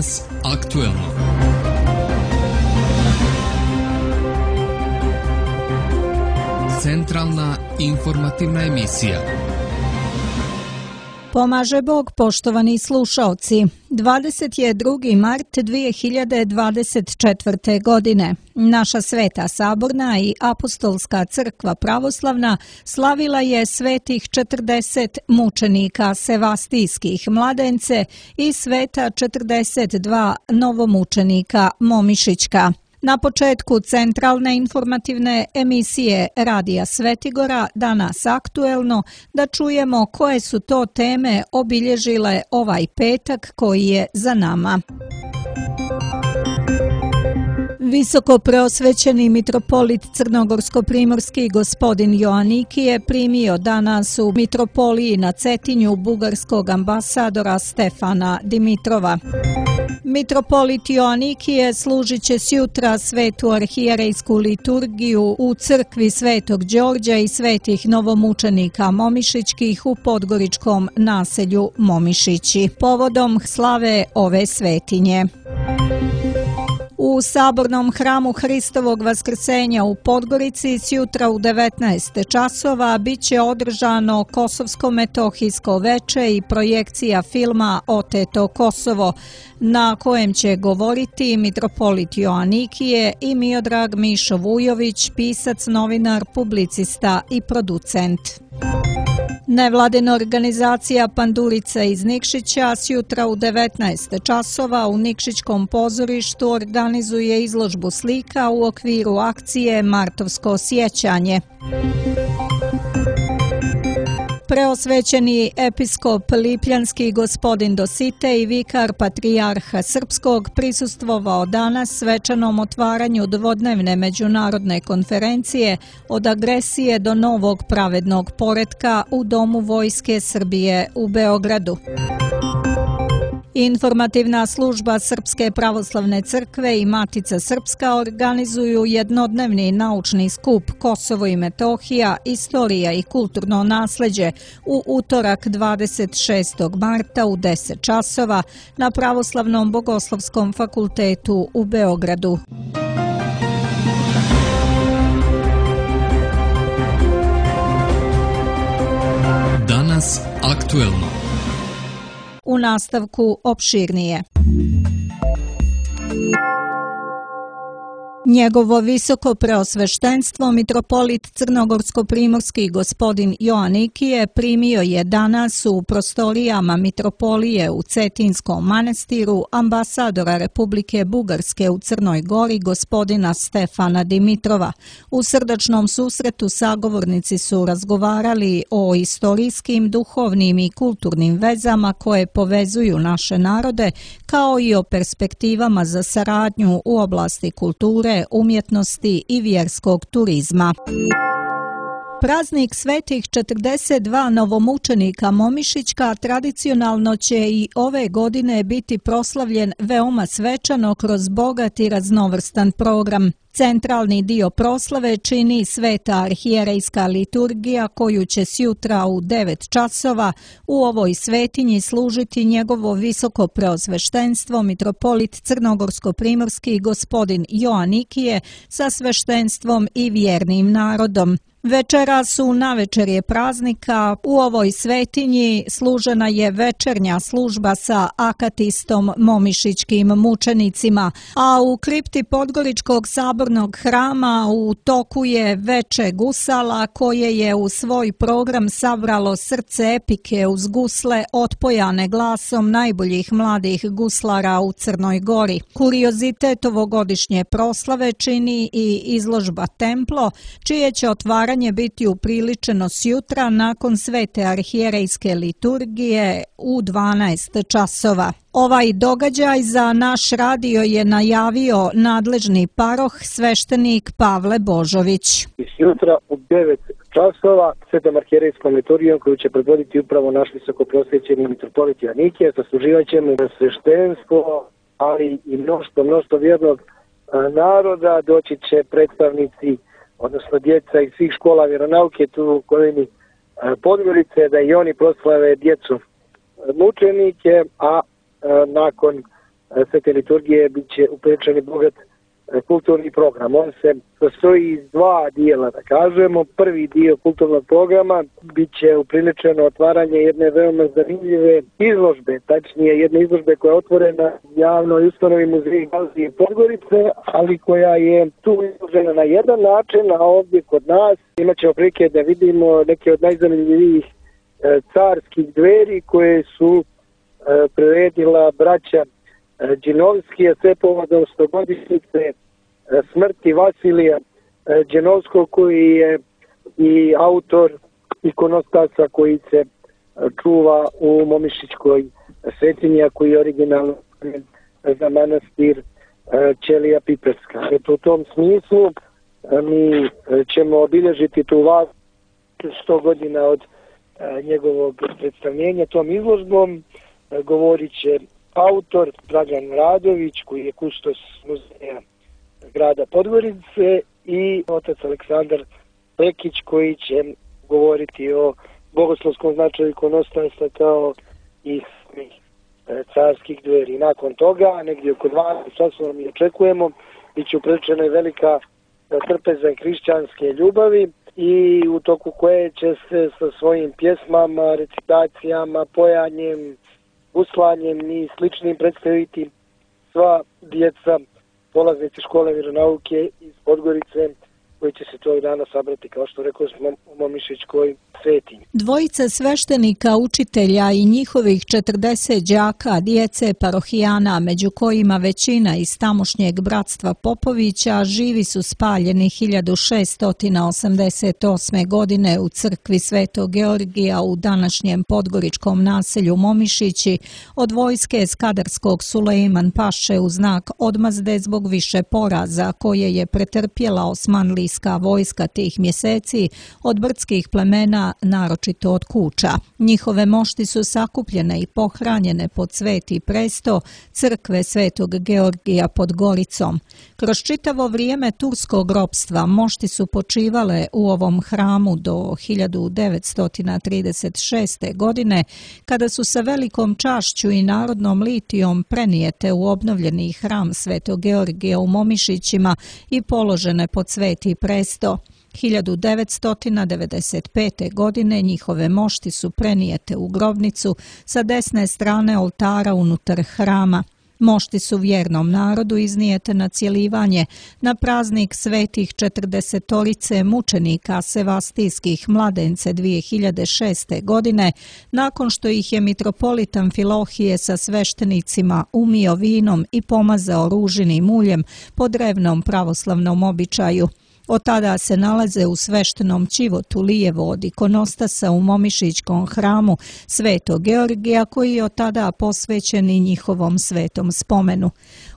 Danas aktuelno. Centralna informativna emisija. Pomaže Bog, poštovani slušaoci. 22. mart 2024. godine. Naša Sveta Saborna i Apostolska crkva pravoslavna slavila je svetih 40 mučenika sevastijskih mladence i sveta 42 novomučenika Momišićka. Na početku centralne informativne emisije Radija Svetigora Danas aktuelno da čujemo koje su to teme obilježile ovaj petak koji je za nama. Visoko preosvećeni mitropolit crnogorsko-primorski gospodin Joaniki je primio danas u mitropoliji na Cetinju bugarskog ambasadora Stefana Dimitrova. Mitropolit Joanikije služit će sjutra svetu arhijerejsku liturgiju u crkvi Svetog Đorđa i svetih novomučenika Momišićkih u podgoričkom naselju Momišići, povodom slave ove svetinje. U Sabornom hramu Hristovog Vaskrsenja u Podgorici sjutra u 19 časova bit će održano Kosovsko-metohijsko veče i projekcija filma Oteto Kosovo, na kojem će govoriti mitropolit Joanikije i Miodrag Mišo Vujović, pisac, novinar, publicista i producent. Nevladina organizacija Pandurica iz Nikšića sjutra u 19 časova u Nikšićkom pozorištu organizuje izložbu slika u okviru akcije Martovsko sjećanje. Preosvećeni episkop Lipljanski gospodin Dositej i vikar patrijarha Srpskog prisustvovao danas svečanom otvaranju dvodnevne međunarodne konferencije od agresije do novog pravednog poretka u Domu Vojske Srbije u Beogradu. Informativna služba Srpske pravoslavne crkve i Matica Srpska organizuju jednodnevni naučni skup Kosovo i Metohija, istorija i kulturno nasleđe u utorak 26. marta u 10 časova na Pravoslavnom bogoslovskom fakultetu u Beogradu. Danas aktuelno. U nastavku opširnije. Njegovo visoko preosveštenstvo mitropolit crnogorsko-primorski gospodin Joanikije primio je danas u prostorijama mitropolije u Cetinskom manastiru ambasadora Republike Bugarske u Crnoj Gori gospodina Stefana Dimitrova. U srdačnom susretu sagovornici su razgovarali o istorijskim, duhovnim i kulturnim vezama koje povezuju naše narode, kao i o perspektivama za saradnju u oblasti kulture, umjetnosti i vjerskog turizma. Praznik svetih 42 novomučenika Momišićka tradicionalno će i ove godine biti proslavljen veoma svečano kroz bogat i raznovrstan program. Centralni dio proslave čini sveta arhijerejska liturgija koju će sjutra u 9 časova u ovoj svetinji služiti njegovo visoko preosveštenstvo mitropolit crnogorsko-primorski gospodin Joanikije sa sveštenstvom i vjernim narodom. Večeras u navečerje praznika u ovoj svetinji služena je večernja služba sa akatistom momišićkim mučenicima, a u kripti Podgoričkog sabornog hrama u toku je veče gusala koje je u svoj program sabralo srce epike uz gusle otpojane glasom najboljih mladih guslara u Crnoj Gori. Kuriozitet ovogodišnje proslave čini i izložba Templo, čije će otvaranje biti upriličeno sjutra nakon svete arhijerejske liturgije u 12 časova. Ovaj događaj za naš radio je najavio nadležni paroh sveštenik Pavle Božović. Sjutra u 9 časova svetom arhijerejskom liturgijom koju će predvoditi upravo naš visoko prosvećeni mitropolit Joanikije, zasluživat ćemo sveštenstvo, ali i mnoštvo vjernog naroda. Doći će predstavnici, odnosno djeca iz svih škola vjeronauke tu u okolini Podgorice, da i oni proslave djecu mučenike, a nakon svete liturgije bit će upriličen i bogat kulturni program. On se sastoji iz dva dijela, da kažemo. Prvi dio kulturnog programa bit će upriličeno otvaranje jedne veoma zanimljive izložbe, tačnije jedne izložbe koja je otvorena javnoj ustanovi Muzeja Galerije Podgorice, ali koja je tu izložena na jedan način, a ovdje kod nas imat ćemo prilike da vidimo neke od najzanimljivijih carskih dveri koje su priredila braća Đinovski, a sve povodom 100-godišnjice smrti Vasilija Đinovskog, koji je i autor ikonostasa koji se čuva u Momišićkoj svetinji, koji je originalno za manastir Ćelija Piperska. U tom smislu mi ćemo obilježiti tu 100 godina od njegovog predstavljenja tom izložbom. Govorit će autor Dragan Radović, koji je kustos muzeja grada Podgorice, i otac Aleksandar Lekić, koji će govoriti o bogoslovskom značaju ikonostasa kao i carskih dveri. Nakon toga, negdje oko 12 časova mi očekujemo, bit će upriličena i velika trpeza hrišćanske ljubavi, i u toku koje će se sa svojim pjesmama, recitacijama, pojanjem, uslanjem i sličnim predstaviti sva djeca, polaznici škole vjeronauke iz Podgorice, koji će se tog dana sabrati, kao što rekao smo, u Momišićkoj svetinji. Dvojica sveštenika, učitelja i njihovih 40 đaka, djece parohijana, među kojima većina iz tamošnjeg bratstva Popovića, živi su spaljeni 1688. godine u crkvi Svetog Georgija u današnjem podgoričkom naselju Momišići od vojske Skadarskog Sulejman Paše u znak odmazde zbog više poraza koje je pretrpjela osmanlijska vojska tih mjeseci od brdskih plemena, naročito od Kuča. Njihove mošti su sakupljene i pohranjene pod Sveti presto crkve Svetog Georgija pod Goricom. Kroz čitavo vrijeme turskog ropstva mošti su počivale u ovom hramu do 1936. godine, kada su sa velikom čašću i narodnom litijom prenijete u obnovljeni hram Svetog Georgija u Momišićima i položene pod Sveti presto. 1995. godine njihove mošti su prenijete u grobnicu sa desne strane oltara unutar hrama. Mošti su vjernom narodu iznijete na cjelivanje na praznik svetih 40 mučenika sevastijskih mladence 2006. godine, nakon što ih je mitropolit Amfilohije sa sveštenicima umio vinom i pomazao ružinim uljem po drevnom pravoslavnom običaju. Od tada se nalaze u sveštenom ćivotu lijevo od ikonostasa u Momišićkom hramu Svetog Georgija, koji je od tada posvećen i njihovom svetom spomenu.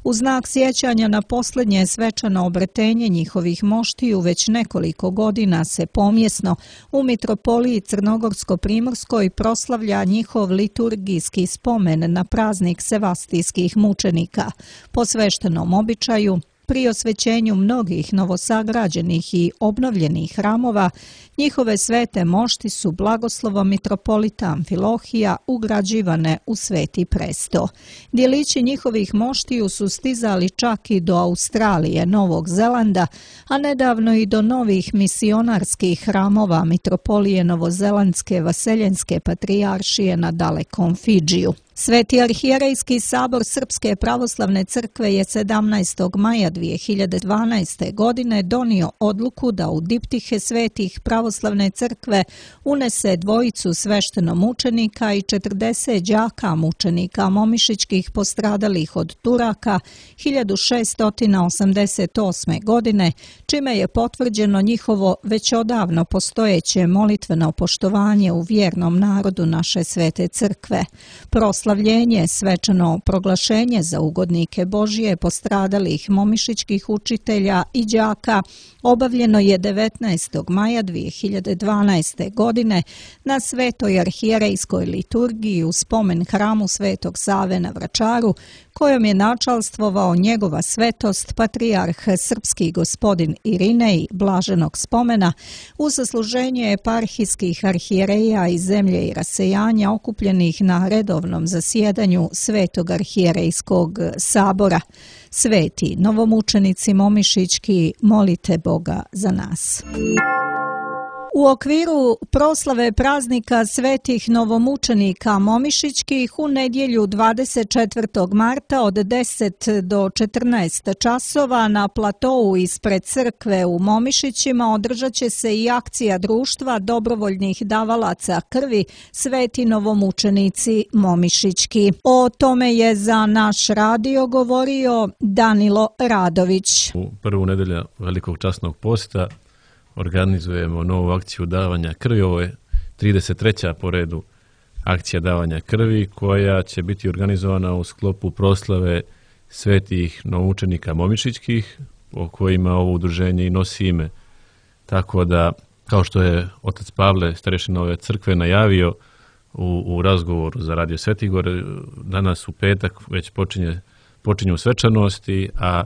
U znak sjećanja na posljednje svečano obretenje njihovih moštiju već nekoliko godina se pomjesno u mitropoliji Crnogorsko-primorskoj proslavlja njihov liturgijski spomen na praznik sevastijskih mučenika. Po sveštenom običaju, pri osvećenju mnogih novosagrađenih i obnovljenih hramova, njihove svete mošti su blagoslovom mitropolita Amfilohija ugrađivane u Sveti presto. Djelići njihovih moštiju su stizali čak i do Australije, Novog Zelanda, a nedavno i do novih misionarskih hramova mitropolije Novozelandske Vaseljenske patrijaršije na dalekom Fidžiju. Sveti arhijerejski sabor Srpske pravoslavne crkve je 17. maja 2012. godine donio odluku da u diptihe svetih pravoslavne crkve unese dvojicu sveštenomučenika i 40 đaka mučenika momišićkih postradalih od Turaka 1688. godine, čime je potvrđeno njihovo već odavno postojeće molitveno poštovanje u vjernom narodu naše svete crkve. Proslavljenje, svečano proglašenje za ugodnike Božije postradalih momišićkih učitelja i đaka obavljeno je 19. maja 2012. godine na Svetoj arhijerejskoj liturgiji u spomen hramu Svetog Save na Vračaru, kojom je načalstvovao njegova svetost patrijarh srpski gospodin Irinej blaženog spomena u zasluženje eparhijskih arhijereja iz zemlje i rasejanja okupljenih na redovnom zasjedanju Svetog arhijerejskog sabora. Sveti novomučenici momišićki, molite Boga za nas. U okviru proslave praznika svetih novomučenika momišićkih u nedjelju 24. marta od 10 do 14 časova na platou ispred crkve u Momišićima održat će se i akcija društva dobrovoljnih davalaca krvi Sveti novomučenici momišićki. O tome je za naš radio govorio Danilo Radović. U prvu nedjelju velikog časnog posta organizujemo novu akciju davanja krvi. Ovo je 33. po redu akcija davanja krvi koja će biti organizovana u sklopu proslave svetih novomučenika momišićkih, o kojima ovo udruženje i nosi ime. Tako da, kao što je otac Pavle, starešina ove crkve, najavio u razgovoru za Radio Svetigor, danas u petak već počinju svečanosti, a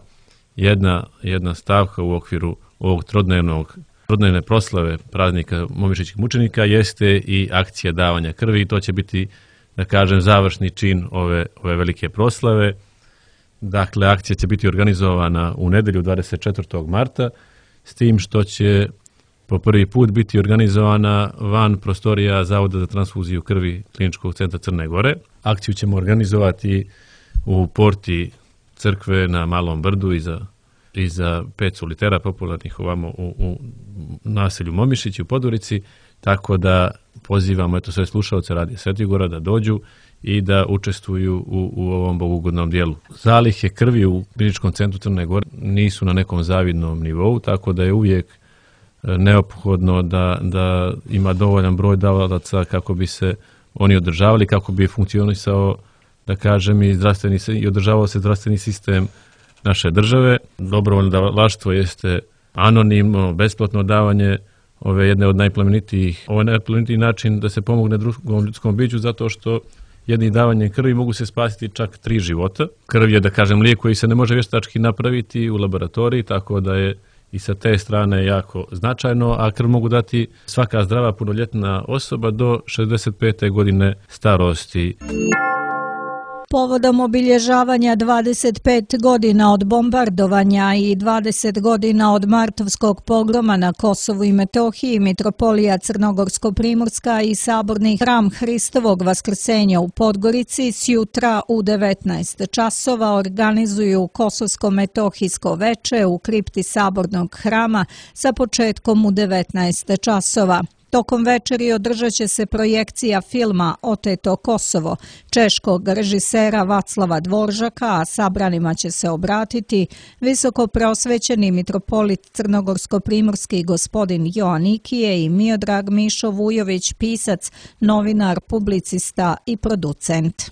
jedna stavka u okviru ovog trodnevne proslave praznika momišićkih mučenika jeste i akcija davanja krvi. To će biti, da kažem, završni čin ove velike proslave. Dakle, akcija će biti organizovana u nedjelju 24. marta, s tim što će po prvi put biti organizovana van prostorija Zavoda za transfuziju krvi Kliničkog centra Crne Gore. Akciju ćemo organizovati u porti crkve na Malom Brdu iza 5 solitera popularnih ovamo u naselju Momišići u Podgorici, tako da pozivamo sve slušaoce Radio Svetigora da dođu i da učestvuju u ovom bogugodnom dijelu. Zalihe krvi u Kliničkom centru Crne Gore nisu na nekom zavidnom nivou, tako da je uvijek neophodno da ima dovoljan broj davalaca kako bi se oni održavali, kako bi funkcionisao, da kažem, i održavao se zdravstveni sistem naše države. Dobrovoljno davalaštvo jeste anonimno, besplatno davanje ove jedne od najplemenitijih. Ovo je najplemenitiji način da se pomogne drugom ljudskom biću, zato što jednim davanjem krvi mogu se spasiti čak 3 života. Krv je, da kažem, lijek koji se ne može vještački napraviti u laboratoriji, tako da je i sa te strane jako značajno, a krv mogu dati svaka zdrava punoljetna osoba do 65. godine starosti. Povodom obilježavanja 25 godina od bombardovanja i 20 godina od martovskog pogroma na Kosovu i Metohiji, Mitropolija Crnogorsko-Primorska i Saborni hram Hristovog Vaskrsenja u Podgorici sjutra u 19 časova organizuju Kosovsko-Metohijsko veče u kripti Sabornog hrama sa početkom u 19 časova. Tokom večeri održat će se projekcija filma Oteto Kosovo češkog režisera Vaclava Dvoržaka, a sabranima će se obratiti visoko preosvećeni mitropolit Crnogorsko-Primorski gospodin Joanikije i Miodrag Mišo Vujović, pisac, novinar, publicista i producent.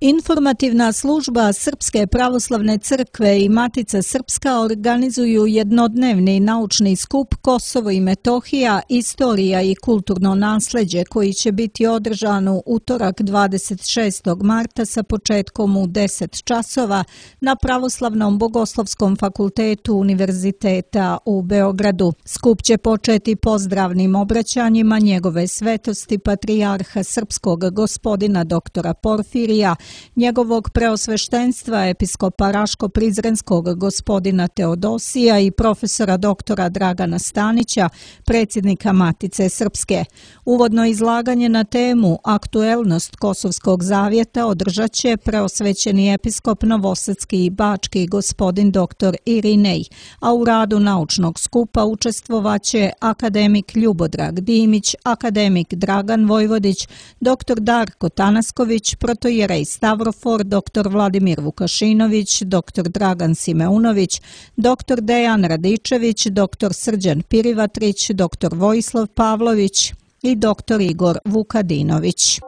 Informativna služba Srpske pravoslavne crkve i Matica Srpska organizuju jednodnevni naučni skup Kosovo i Metohija, istorija i kulturno nasleđe, koji će biti održan u utorak 26. marta sa početkom u 10 časova na Pravoslavnom bogoslovskom fakultetu Univerziteta u Beogradu. Skup će početi pozdravnim obraćanjima njegove svetosti patrijarha srpskog gospodina doktora Porfirija, njegovog preosveštenstva episkopa Raško-Prizrenskog gospodina Teodosija i profesora doktora Dragana Stanića, predsjednika Matice Srpske. Uvodno izlaganje na temu Aktuelnost Kosovskog zavjeta održat će preosvećeni episkop Novosadski i Bački gospodin doktor Irinej, a u radu naučnog skupa učestvovaće akademik Ljubodrag Dimić, akademik Dragan Vojvodić, doktor Darko Tanasković, protojerej Stavrofor, dr. Vladimir Vukašinović, dr. Dragan Simeunović, dr. Dejan Radičević, dr. Srđan Pirivatrić, dr. Vojislav Pavlović i dr. Igor Vukadinović.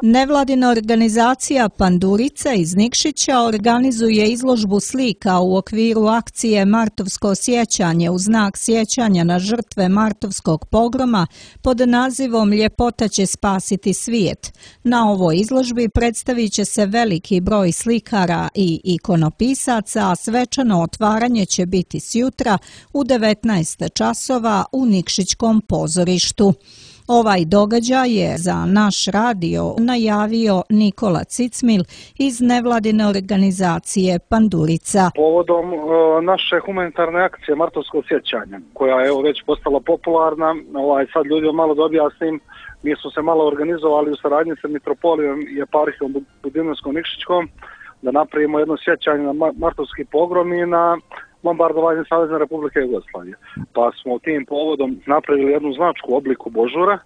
Nevladina organizacija Pandurica iz Nikšića organizuje izložbu slika u okviru akcije Martovsko sjećanje u znak sjećanja na žrtve Martovskog pogroma pod nazivom Ljepota će spasiti svijet. Na ovoj izložbi predstavit će se veliki broj slikara i ikonopisaca, a svečano otvaranje će biti sjutra u 19 časova u Nikšićkom pozorištu. Ovaj događaj je za naš radio najavio Nikola Cicmil iz nevladine organizacije Pandurica. Povodom naše humanitarne akcije Martovsko sjećanje, koja je već postala popularna, sad ljudima malo da objasnim, mi smo se malo organizovali u saradnji sa Mitropolijom i eparhijom Budimljansko-Nikšićkom da napravimo jedno sjećanje na martovski pogrom i na bombardovanje Savezne Republike Jugoslavije. Pa smo tim povodom napravili jednu značku u obliku božura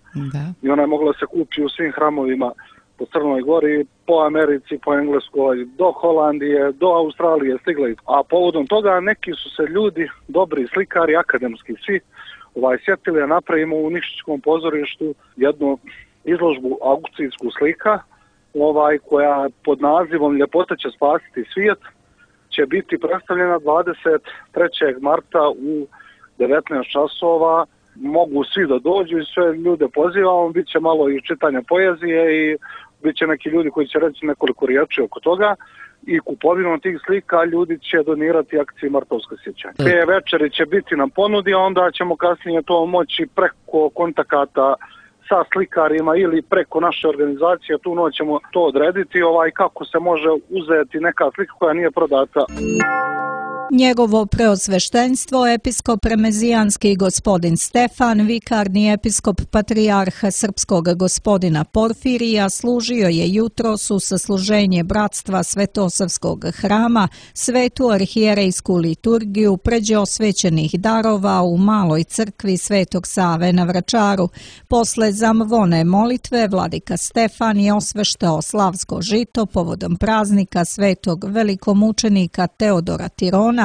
i ona je mogla se kupiti u svim hramovima po Crnoj Gori, po Americi, po Engleskoj, do Holandije, do Australije stigla. A povodom toga neki su se ljudi, dobri slikari, akademski svi, sjetili da napravimo u Nikšićkom pozorištu jednu izložbu aukcijsku slika, koja pod nazivom Ljepota će spasiti svijet, će biti predstavljena 23. marta u 19 časova. Mogu svi da dođu i sve ljude pozivamo, bit će malo i čitanja poezije i bit će neki ljudi koji će reći nekoliko riječi oko toga i kupovinom tih slika ljudi će donirati akciji Martovsko sjećanje. Te večeri će biti na ponudi, a onda ćemo kasnije to moći preko kontakata sa slikarima ili preko naše organizacije, tu noć ćemo to odrediti kako se može uzeti neka slika koja nije prodata. Njegovo preosveštenstvo, episkop remezijanski gospodin Stefan, vikarni episkop patrijarha srpskog gospodina Porfirija, služio je jutros u sasluženje bratstva Svetosavskog hrama, svetu arhijerejsku liturgiju pređe osvećenih darova u maloj crkvi Svetog Save na Vračaru. Posle zamvone molitve, vladika Stefan je osveštao slavsko žito povodom praznika svetog velikomučenika Teodora Tirona,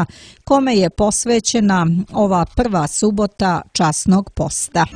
kome je posvećena ova prva subota časnog posta.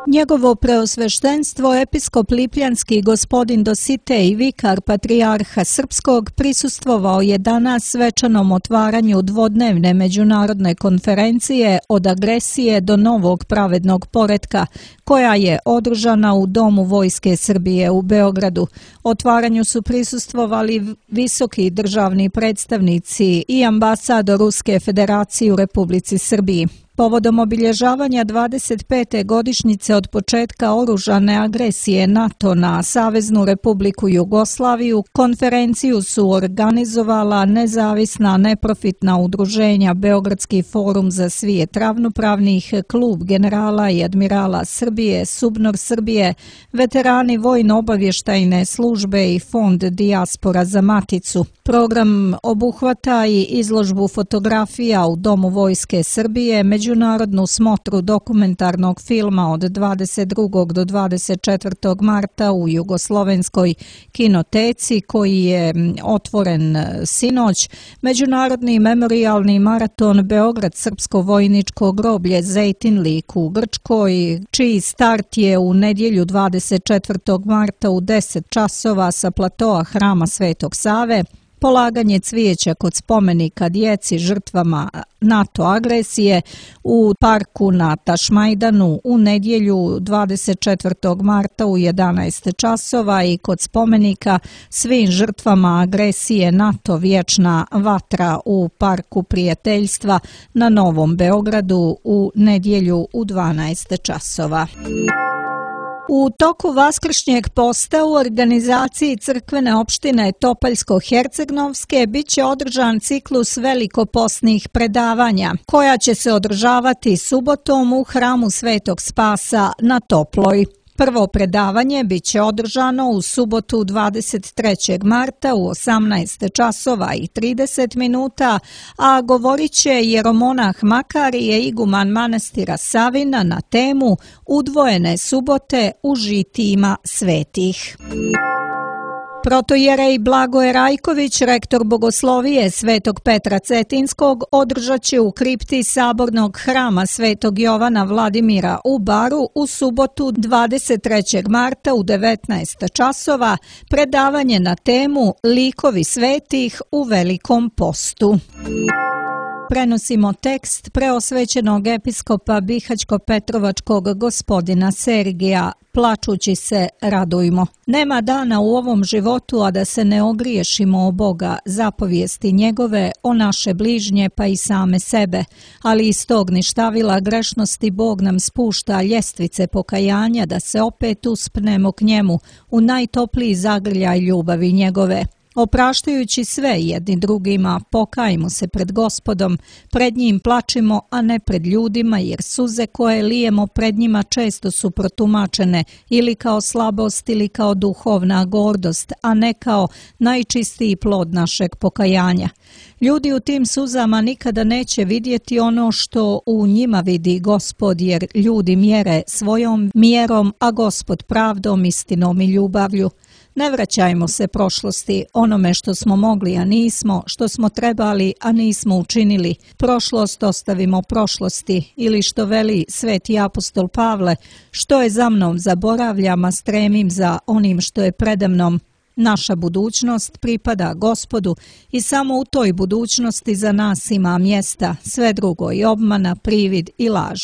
Njegovo preosveštenstvo, episkop lipljanski gospodin Dositej, vikar patrijarha srpskog, prisustvovao je danas svečanom otvaranju dvodnevne međunarodne konferencije Od agresije do novog pravednog poretka, koja je održana u Domu Vojske Srbije u Beogradu. Otvaranju su prisustvovali visoki državni predstavnici i ambasador Ruske federacije u Republici Srbiji. Povodom obilježavanja 25. godišnjice od početka oružane agresije NATO na Saveznu Republiku Jugoslaviju, konferenciju su organizovala nezavisna neprofitna udruženja Beogradski forum za svijet ravnopravnih, Klub generala i admirala Srbije, Subnor Srbije, veterani vojno-obavještajne službe i Fond Dijaspora za Maticu. Program obuhvata i izložbu fotografija u Domu Vojske Srbije, međunarodnu smotru dokumentarnog filma od 22. do 24. marta u Jugoslovenskoj kinoteci koji je otvoren sinoć, međunarodni memorijalni maraton Beograd srpsko vojničko groblje Zejtinlik u Grčkoj, čiji start je u nedjelju 24. marta u 10 časova sa platoa Hrama Svetog Save, polaganje cvijeća kod spomenika djeci žrtvama NATO agresije u parku na Tašmajdanu u nedjelju 24. marta u 11 časova i kod spomenika svim žrtvama agresije NATO Vječna vatra u parku prijateljstva na Novom Beogradu u nedjelju u 12 časova. U toku vaskršnjeg posta u organizaciji crkvene opštine Topaljsko-Hercegnovske bit će održan ciklus velikoposnih predavanja, koja će se održavati subotom u hramu Svetog Spasa na Toploj. Prvo predavanje bit će održano u subotu 23. marta u 18 časova i 30 minuta, a govorit će jeromonah Makarije, iguman manastira Savina na temu Udvojene subote u žitijima svetih. Protojerej Blagoje Rajković, rektor bogoslovije Svetog Petra Cetinskog, održat će u kripti Sabornog hrama Svetog Jovana Vladimira u Baru u subotu 23. marta u 19 časova predavanje na temu Likovi svetih u Velikom postu. prenosimo tekst preosvećenog episkopa Bihaćko-Petrovačkog gospodina Sergija. Plačući se radujmo. Nema dana u ovom životu, a da se ne ogriješimo o Boga, zapovijesti njegove, o naše bližnje pa i same sebe. Ali iz tog ništavila grešnosti Bog nam spušta ljestvice pokajanja da se opet uspnemo k njemu u najtopliji zagrljaj ljubavi njegove. Opraštajući sve jedni drugima, pokajmo se pred Gospodom, pred njim plačimo, a ne pred ljudima, jer suze koje lijemo pred njima često su protumačene ili kao slabost ili kao duhovna gordost, a ne kao najčistiji plod našeg pokajanja. Ljudi u tim suzama nikada neće vidjeti ono što u njima vidi Gospod, jer ljudi mjere svojom mjerom, a Gospod pravdom, istinom i ljubavlju. Ne vraćajmo se prošlosti, onome što smo mogli, a nismo, što smo trebali, a nismo učinili. Prošlost ostavimo prošlosti, ili što veli sveti apostol Pavle, što je za mnom zaboravljam, a stremim za onim što je predamnom. Naša budućnost pripada Gospodu i samo u toj budućnosti za nas ima mjesta, sve drugo je obmana, privid i laž.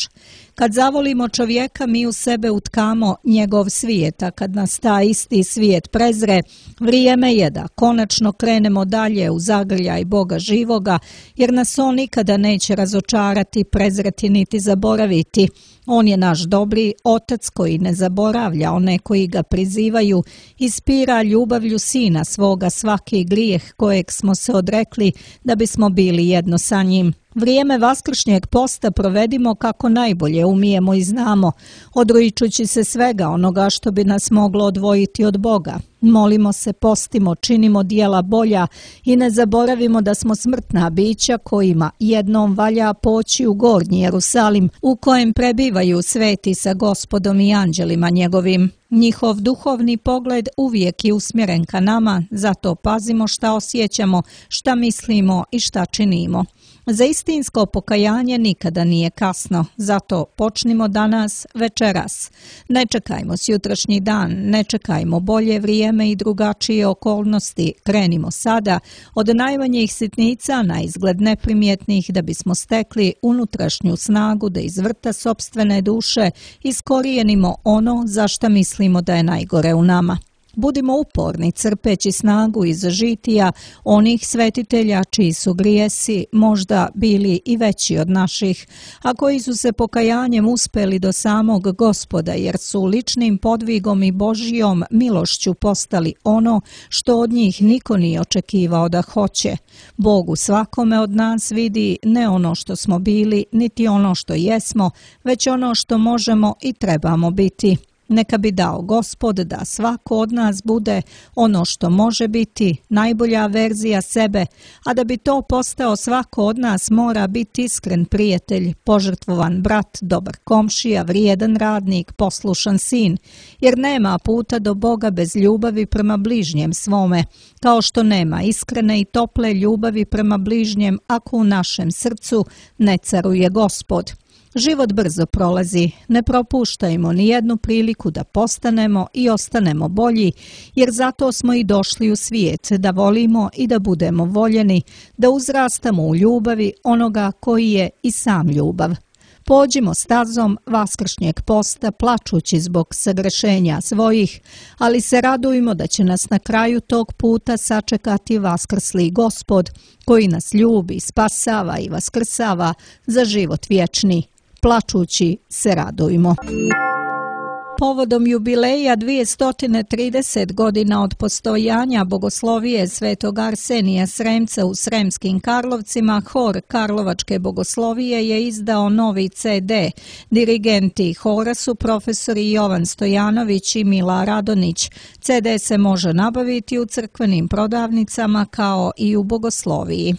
Kad zavolimo čovjeka, mi u sebe utkamo njegov svijet, a kad nas taj isti svijet prezre, vrijeme je da konačno krenemo dalje u zagrljaj Boga živoga, jer nas on nikada neće razočarati, prezreti niti zaboraviti. On je naš dobri otac koji ne zaboravlja one koji ga prizivaju, ispira ljubavlju sina svoga svaki grijeh kojeg smo se odrekli da bismo bili jedno sa njim. Vrijeme vaskršnjeg posta provedimo kako najbolje umijemo i znamo, odričući se svega onoga što bi nas moglo odvojiti od Boga. Molimo se, postimo, činimo dijela bolja i ne zaboravimo da smo smrtna bića kojima jednom valja poći u gornji Jerusalim, u kojem prebivaju sveti sa Gospodom i anđelima njegovim. Njihov duhovni pogled uvijek je usmjeren ka nama, zato pazimo šta osjećamo, šta mislimo i šta činimo. Za istinsko pokajanje nikada nije kasno, zato počnimo danas, večeras. Ne čekajmo sutrašnji dan, ne čekajmo bolje vrijeme i drugačije okolnosti, krenimo sada od najmanjih sitnica na izgled neprimjetnih da bismo stekli unutrašnju snagu da iz vrta sopstvene duše iskorijenimo ono za šta mislimo da je najgore u nama. Budimo uporni, crpeći snagu iz žitija onih svetitelja čiji su grijesi možda bili i veći od naših, a koji su se pokajanjem uspeli do samog Gospoda, jer su ličnim podvigom i Božjom milošću postali ono što od njih niko nije očekivao da hoće. Bog u svakome od nas vidi ne ono što smo bili, niti ono što jesmo, već ono što možemo i trebamo biti. Neka bi dao Gospod da svako od nas bude ono što može biti, najbolja verzija sebe, a da bi to postao svako od nas mora biti iskren prijatelj, požrtvovan brat, dobar komšija, vrijedan radnik, poslušan sin, jer nema puta do Boga bez ljubavi prema bližnjem svome, kao što nema iskrene i tople ljubavi prema bližnjem ako u našem srcu ne caruje Gospod. Život brzo prolazi, ne propuštajmo ni jednu priliku da postanemo i ostanemo bolji, jer zato smo i došli u svijet, da volimo i da budemo voljeni, da uzrastamo u ljubavi onoga koji je i sam ljubav. Pođimo stazom vaskršnjeg posta plačući zbog sagrešenja svojih, ali se radujmo da će nas na kraju tog puta sačekati vaskrsli Gospod, koji nas ljubi, spasava i vaskrsava za život vječni. Plačući se radujmo. Povodom jubileja 230 godina od postojanja bogoslovije svetog Arsenija Sremca u Sremskim Karlovcima, hor Karlovačke bogoslovije je izdao novi CD. Dirigenti hora su profesori Jovan Stojanović i Mila Radonić. CD se može nabaviti u crkvenim prodavnicama kao i u bogosloviji.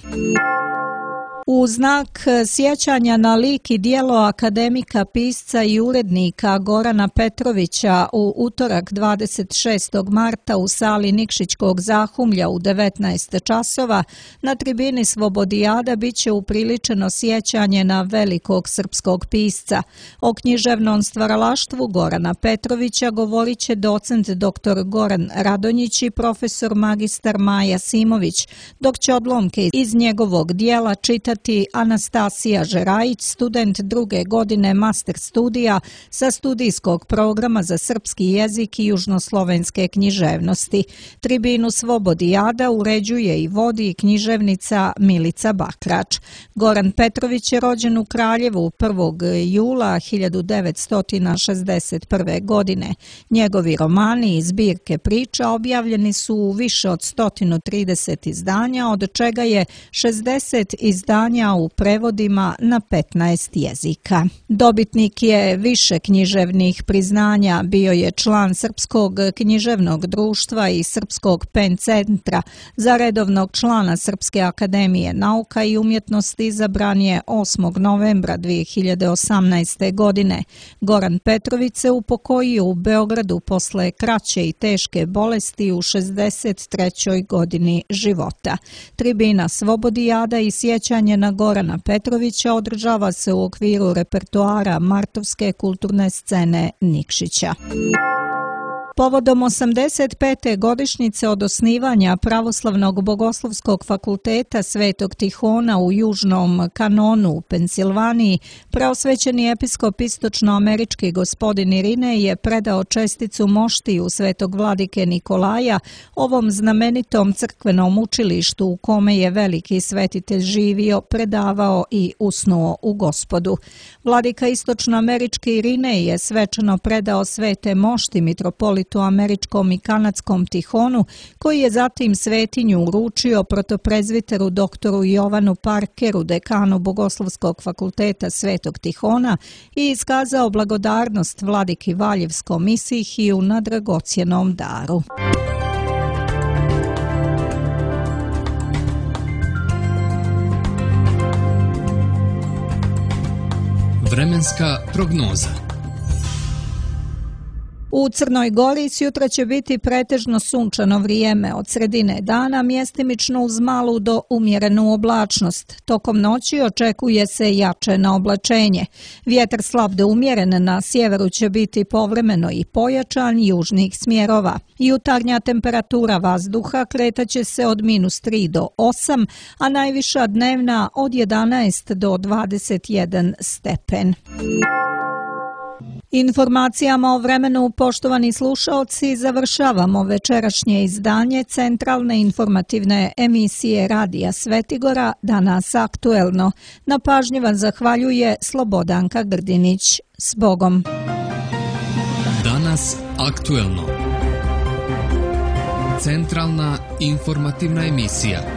U znak sjećanja na lik i djelo akademika, pisca i urednika Gorana Petrovića u utorak 26. marta u sali Nikšićkog Zahumlja u 19 časova na tribini Slobodijada biće upriličeno sjećanje na velikog srpskog pisca. O književnom stvaralaštvu Gorana Petrovića govorit će docent dr. Goran Radonjić i profesor magistar Maja Simović, dok će odlomke iz njegovog djela čitati predavati Anastasija Žerajić, student 2. godine master studija sa studijskog programa za srpski jezik i južnoslovenske književnosti. Tribinu Slobodijada uređuje i vodi književnica Milica Bakrač. Goran Petrović je rođen u Kraljevu 1. jula 1961. godine. Njegovi romani i zbirke priča objavljeni su u više od 130 izdanja, od čega je 60 izdanja u prevodima na 15 jezika. Dobitnik je više književnih priznanja, bio je član Srpskog književnog društva i Srpskog PEN centra. Za redovnog člana Srpske akademije nauka i umjetnosti izabran je 8. novembra 2018. godine. Goran Petrović se upokojio u Beogradu posle kraće i teške bolesti u 63. godini života. Tribina Slobodijada i sjećanje na Gorana Petrovića održava se u okviru repertoara Martovske kulturne scene Nikšića. Povodom 85. godišnjice od osnivanja Pravoslavnog bogoslovskog fakulteta Svetog Tihona u Južnom Kanonu u Pensilvaniji, preosvećeni episkop istočnoamerički gospodin Irinej je predao česticu moštiju Svetog vladike Nikolaja ovom znamenitom crkvenom učilištu u kome je veliki svetitelj živio, predavao i usnuo u Gospodu. Vladika istočnoamerički Irinej je svečano predao svete mošti mitropolitu američkom i kanadskom Tihonu, koji je zatim svetinju uručio protoprezviteru doktoru Jovanu Parkeru, dekanu Bogoslovskog fakulteta Svetog Tihona, i iskazao blagodarnost vladiki Valjevskom Isihiju na dragocjenom daru. Vremenska prognoza. U Crnoj Gori sutra će biti pretežno sunčano vrijeme, od sredine dana mjestimično uz malu do umjerenu oblačnost. Tokom noći očekuje se jače naoblačenje. Vjetar slab do umjeren na sjeveru će biti povremeno i pojačan južnih smjerova. Jutarnja temperatura vazduha kretaće se od -3 do 8, a najviša dnevna od 11 do 21 stepen. Informacijama o vremenu, poštovani slušaoci, završavamo večerašnje izdanje centralne informativne emisije Radija Svetigora, Danas aktuelno. Na pažnji vam zahvaljuje Slobodanka Grdinić. S Bogom! Danas aktuelno. Centralna informativna emisija.